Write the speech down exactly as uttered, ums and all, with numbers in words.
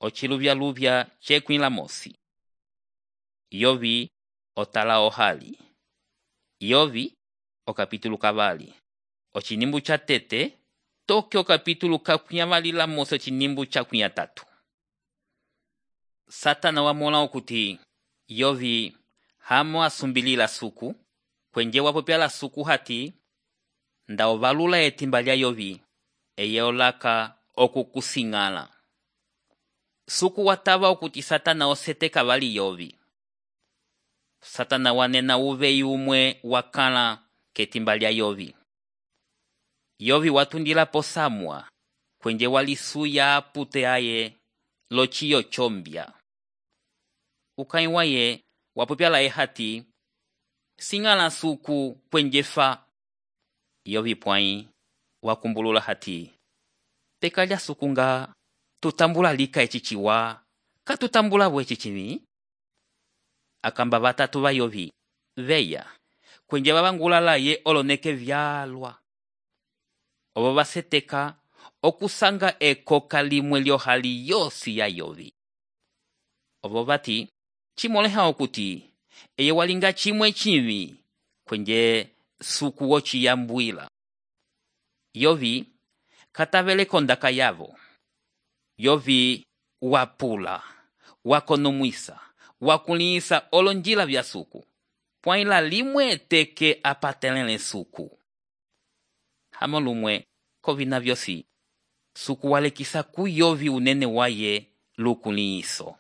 ociluvyaluvya cekwĩ lamosi. Yovi otala ohali. Yovi okapitulu kavali. Ocinimbu cha tete toke okapitulu kakwĩavali lamosi ocinimbu cha kwĩ atatu. Satana wamola okuti Yovi hamo asumbilila suku, kwenje wapopya la suku hati, nda ovalula etimba lya Yovi, eye olaka okukusingala. Suku watava okuti Satana osete kavali Yovi. Satana wanena uveyi umwe wakala ketimba lya Yovi. Yovi watundila posamwa, kwenje walisuya apute aye lochiyo chombia. Ukai waye wapopya la ehati, singala suku kwenje fa. Yovi pwai wakumbulula hati, peka lya suku nga tutambula lika echichiwa, katutambula bwe echichimi. Akamba batatu ba Yovi, veya, kwenje babangulala ye oloneke vyalwa. Obo baseteka okusanga ekoka limwe lyohali yosi ya Yovi. Obo bati, chimoleha okuti, eye walinga chimwe chimi, kwenje suku wochi yambuila. Yovi katavele kondaka yavo. Yovi wapula, wakonomwisa, wakulisa olonjila vya suku. Pwaila limwe teke apatelele suku. Hamo lumwe kovina vyosi. Suku walekisa ku Yovi unene waye lukuliso.